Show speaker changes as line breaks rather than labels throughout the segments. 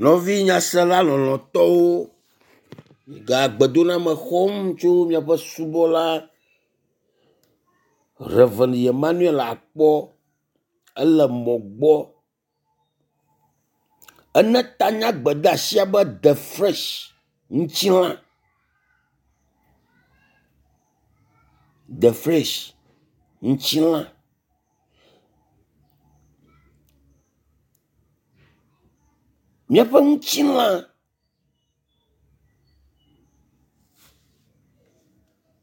Nɔvi nyasela lɔlɔ̃tɔwo, gagbedoname xɔm tso miaƒe subɔla Rev. Emmanuel Akpɔ ele mɔ gbɔ. Ene ta na gbedeasia be the fresh ŋutilã. The fresh ŋutilã. Míaƒe ŋutilã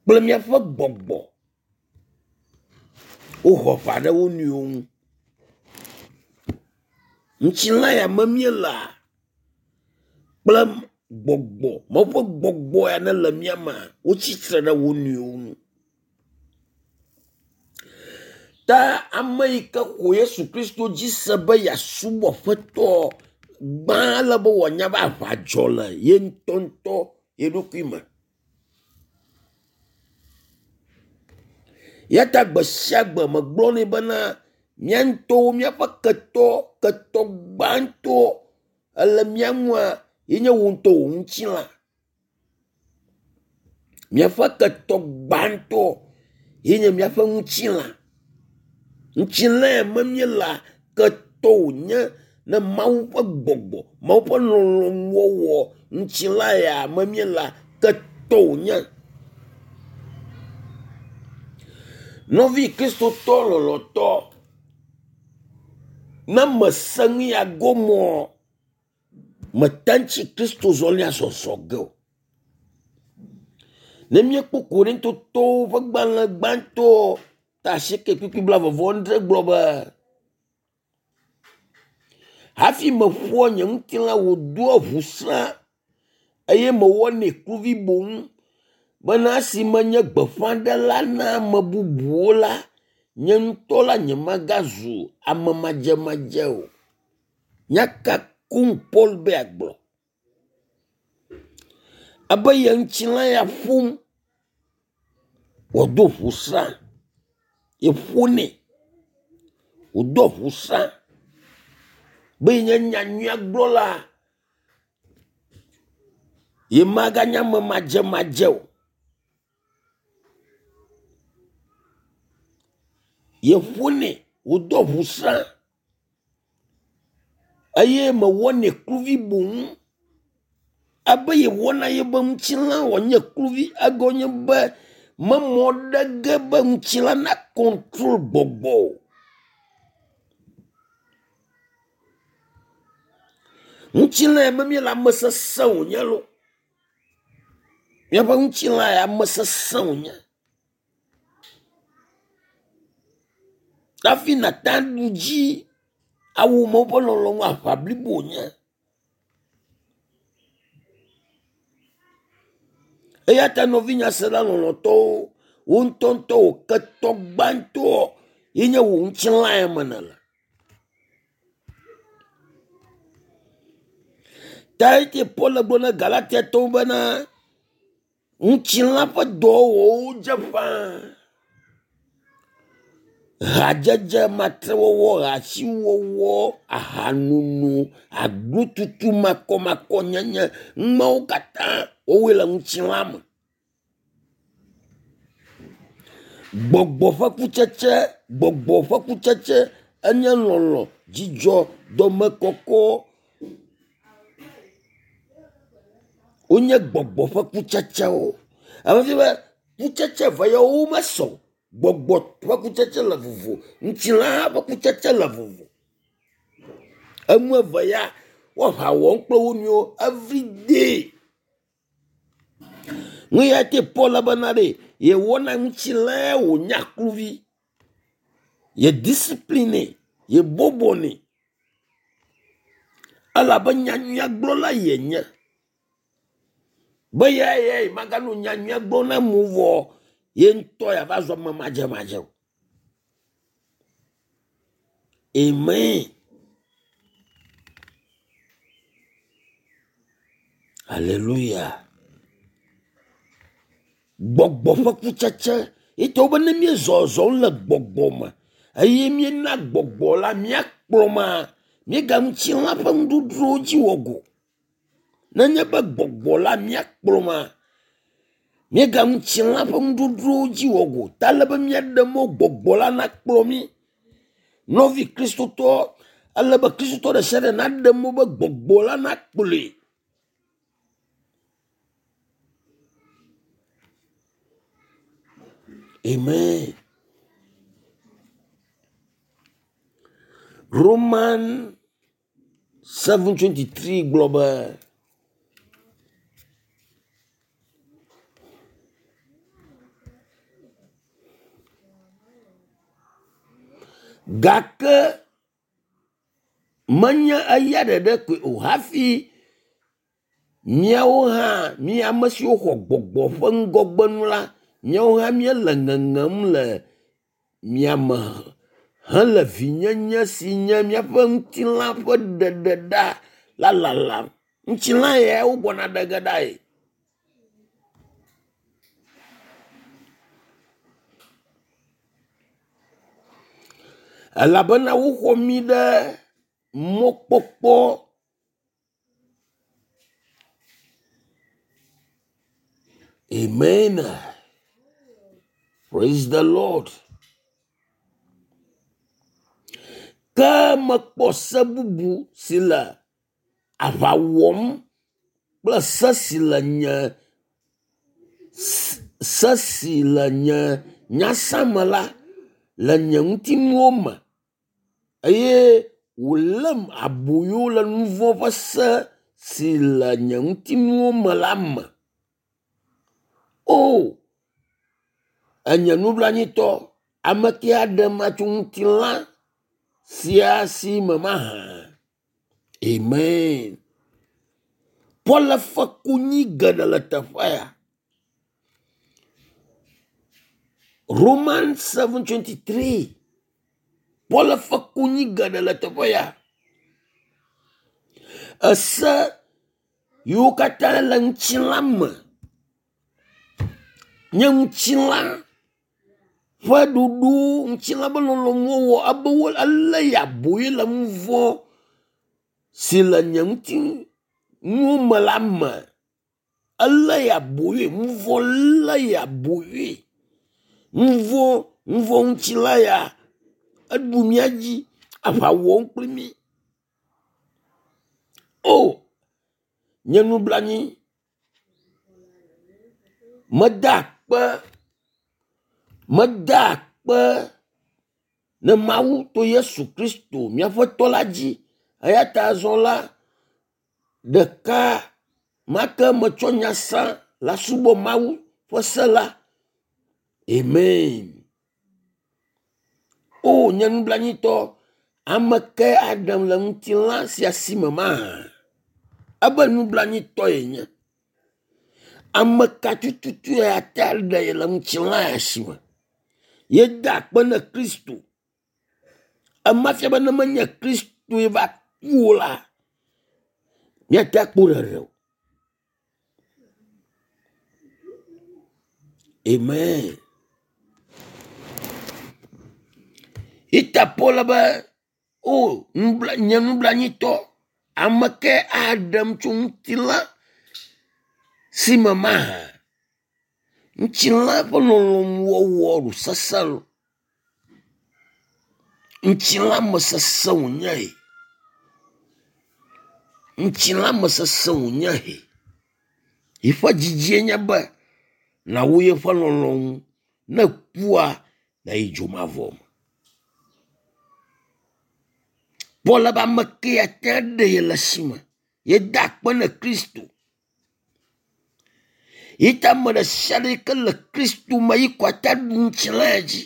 kple míaƒe gbɔgbɔ woho aʋa ɖe wo nɔewo ŋu. Ŋutilã ya me míelea kple gbɔgbɔ Mawu ƒe gbɔgbɔ ya nele mía mea wotsitre ɖe wo nɔewo ŋu. Ta ame yi ke xɔ Yesu Kristo dzi se be yeasubɔ Aƒetɔ gbã ele be wòanya be aʋa dzɔ le ye ŋutɔŋutɔ ye ɖokui me. Ya ta gbe sia gbe megblɔnɛ bena mía ŋutɔwo míaƒe ketɔ ketɔ gbãtɔ ele mía ŋua ye nye wò ŋutɔ wò ŋutilã. Míaƒe ketɔ gbãtɔ ye nye míaƒe ŋutilã. Ŋutilã ya me míelea, ketɔ wònye ne Mawu ƒe gbɔgbɔ, Mawu ƒe lɔlɔ̃nuwɔwɔ ŋutilã ya me míelea, ketɔ wònye. Nɔvi kristotɔ lɔlɔ̃tɔ, ne mese nu ya gɔmeɔ, mete ŋuti Kristo zɔlia zɔzɔ ge o. Ne míekpɔ Korintotɔwo ƒe gbalẽ gbãtɔ ta asieke kpukpui blaeve-vɔ-adre gblɔ be, hafi meƒoa nye ŋutilã wòdoa ʋusrã eye mewɔnɛ kluvi boŋ bena esi menye gbeƒãɖela na ame bubuwo la, nye ŋutɔ la nyemagazu ame madzemadze o. Nya ka koŋ Paul be yeagblɔ? Ebe ye ŋutilã ya ƒom wòado ʋusrã, yeƒonɛ wòdoa ʋusrã be yenye nyanyuia gblɔla yemaganye ame madzemadze o. Yeƒonɛ wòdoa ʋusrã eye mewɔnɛ kluvi boŋ. Ebe yewɔna yebe ŋutilã wòanye kluvi egɔme nye be memɔ ɖe ge be ŋutilã na kɔntrol gbɔgbɔ o. Ŋutilã ya me míele ame sesẽ wònye loo. Míaƒe ŋutilã ya ame sesẽ wònye. Hafi nàte aɖu dzi awu Mawu ƒe lɔlɔ̃nu aʋa blibo wònye. Eya ta nɔvi nyasela lɔlɔ̃tɔwo, wò ŋutɔŋutɔ wò ketɔ gbãtɔ ye nye wò ŋutilã ya me nèle. Ta eye Paul gblɔ na Galatiatɔwo bena ŋutilã ƒe dɔwɔwɔwo dze ƒãa. Hadzedze, matrewɔwɔ, hasiwɔwɔ, ahanono, aglotutu, makɔmakɔnyenye, numawo katã wowɔe le ŋutilã me. Gbɔgbɔ ƒe kutsetse, gbɔgbɔ ƒe kutsetse enye lɔlɔ̃, dzidzɔ, dɔmekɔkɔ. Wonye gbɔgbɔ ƒe kutsetsewo. Ame fi be kutsetse eve yawo womesɔ o. Gbɔgbɔ ƒe kutsetse le vovo, ŋutilã hã ƒe kutsetse le vovo. Enu eve ya woaʋa wɔm kple wo nɔewo everyday. Nu ya te Paul bena ɖe yewɔna ŋutilãe wònye kluvi. Ye discipline yebɔbɔnɛ elabe nyanyuia gblɔla yenye. Be ya ya maganɔ nyanyuia gblɔm na amewo vɔ ye ŋutɔ yeava zu ame madzemadze o. Amen. Hallelujah. Gbɔgbɔ ƒe kutsetse ye tɔwo be ne míezɔzɔm le gbɔgbɔ me eye míena gbɔgbɔ la míakplɔ ma, Míega ŋutilã ƒe nuɖuɖuwo dzi wɔ go. Nenye be gbɔgbɔ la míakplɔ ma, míega ŋutilã ƒe nuɖuɖuwo dzi wɔ go. Ta ele be míaɖe mɔ gbɔgbɔ la nakplɔ mí. Nɔvi Kristotɔ, ele be Kristotɔ ɖe sia ɖe naɖe mɔ be gbɔgbɔ la nakplɔe. Amen. Roman 7:23 gblɔ be gake menye eya ɖeɖe koe o hafi míawo hã mí ame siwo xɔ gbɔgbɔ ƒe ŋgɔgbenu la, míawo hã míele ŋeŋem le miame hele vinyenye si nye míaƒe ŋutilã ƒe ɖeɖeɖa la lalam. Ŋutilã ya wogbɔna ɖe ge ɖae. Elabena woxɔ mí ɖe mɔkpɔkpɔ Amen. Praise the Lord. Ke mekpɔ se bubu si le aʋa wɔm kple se si le nye se si le nye nyasã me la le nye ŋutinuwo me eye wòlém aboyo le nu vɔ̃ ƒe se si le nye ŋutinuwo me la me. O, enye nublanuitɔ, ame ke aɖem atso ŋutilã sia si me mahã. Amen. Paul fe konyi geɖe le teƒea ya. Romans 7:23. Paul fe konyi geɖe le teƒe ya. Ese yiwo katã le ŋutilã me nye ŋutilã ƒe ɖoɖo, ŋutilã ƒe lɔlɔ̃nuwo wɔ ebe wo elé ya aboyo le nu vɔ̃ si le nye ŋutinuwo me la me. Elé ya aboyoe, nu vɔ̃ lé ya aboyoe. Nu vɔ̃, nu vɔ̃ ŋutilã ya eɖu mía dzi, aʋa wɔm kpli mí. O, nye nublanui, meda akpe, meda akpe ne Mawu to Yesu Kristo míaƒe tɔ la dzi. Eya ta azɔ la, ɖeka ma ke metsɔ nyasã la subɔ Mawu ƒe se la. Amen. O, nye nublanuitɔ, ame kae aɖem le ŋutilã sia si me mahã? Ebe nublanuitɔ yenye. Ame ka tututu ate aɖe ye le ŋutilã ya si me? Yeda akpe ne Kristo. Ema fia be ne menye Kristoe va ku o la, míate akpɔ ɖeɖe o. Amen. Ita Paul be, o nubla, nye nublanuitɔ, ame ke aɖem tso ŋutilã si me mahã. Ŋutilã ƒe lɔlɔ̃nuwɔwɔ ɖo sesẽ lo. Ŋutilã me sesẽ wònye he. Ŋutilã me sesẽ wònye he. Yiƒe dzidzie nye be nàwɔ yeƒe lɔlɔ̃nu. Ne ekua, nàyi dzomavɔ me. Paul be ame ke ate aɖe ye le esi me. Yeda akpe ne Kristo. Yi ta ame ɖe sia ɖe yi ke le Kristo me yi kɔ ate ɖu ŋutilã dzi.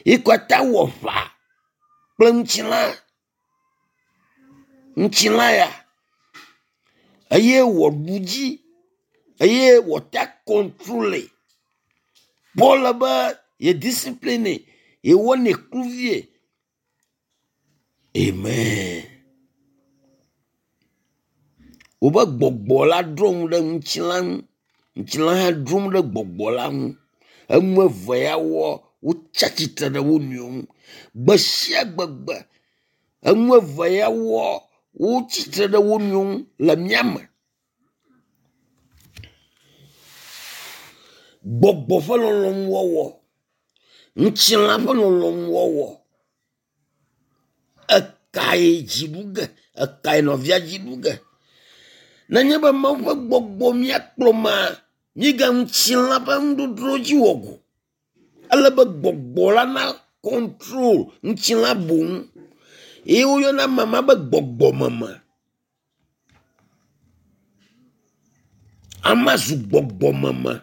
Yi kɔ ate wɔ ʋa kple ŋutilã. Ŋutilã ya eye wòaɖu dzi eye wòate kɔntrole. Paul be ye discipline yewɔnɛ kluvie. Amen. Wobe gbɔgbɔ la drɔ̃ nu ɖe ŋutilã ŋu. Ŋutilã hã drom ɖe gbɔgbɔ la ŋu. Enu eve ya wɔ wotsi atsitre ɖe wo nɔewo ŋu. Gbe sia gbegbe Enu eve ya woa, wotsitre ɖe wo nɔewo ŋu le mía me. Gbɔgbɔ ƒe lɔlɔ̃nuwɔwɔ, ŋutilã ƒe lɔlɔ̃nuwɔwɔ. Ekae dzi ɖu ge? Ekae nɔvia dzi ɖu ge? Nenye be Mawu ƒe gbɔgbɔ mía kplɔ maa, míga ŋutilã ƒe nuɖoɖo dzi wɔ go. Ele be gbɔgbɔ la na control ŋutilã boŋ. Ye woyɔna mama be gbɔgbɔmeme. Ama zu gbɔgbɔmeme.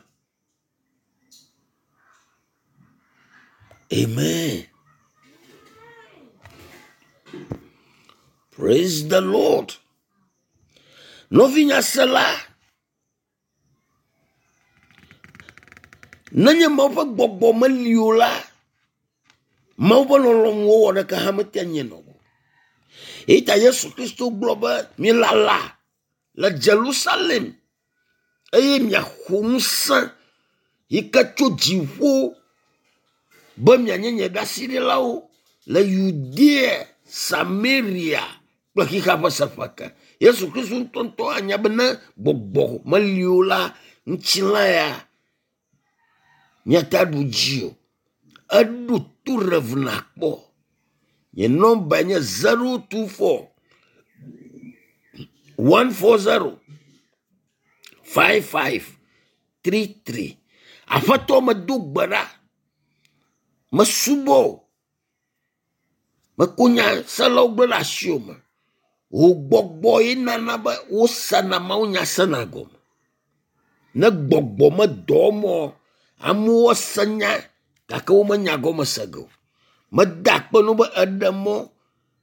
Amen. Praise the Lord. Nɔvinyasela, nenye Mawu ƒe gbɔgbɔ meli o la, Mawu ƒe lɔlɔ̃nu wɔwɔ ɖeka hã mete nye nɔ o. Eyi ta Yesu Kristo gblɔ be milala le Jerusalem eye miaxɔ ŋusẽ yi ke tso dziƒo be mianye nye ɖaseɖilawo le Yudea, Samaria kple xexea ƒe seƒe ke. Yesu Kristo ŋutɔŋutɔ anya be ne gbɔgbɔ meli o la, ŋutilã ya míate ɖu dzi o. Eɖo to Rev nakpɔ. Nye nɔmba nye 024 140 5533. Aƒetɔ medo gbe ɖa. Mesubɔ wò. Meko nya selawo gblẽ ɖe asiwò me. Wò gbɔgbɔ ye nana be wosena mawunya sena gɔme. Ne gbɔgbɔ medɔ mɔ amewo se nya gake womenya gɔme se ge o. Meda akpe no be eɖe mɔ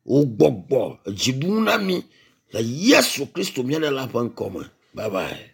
wò gbɔgbɔ dzi ɖum na mi le Yesu Kristo mía Ɖela ƒe ŋkɔ me. Bye bye.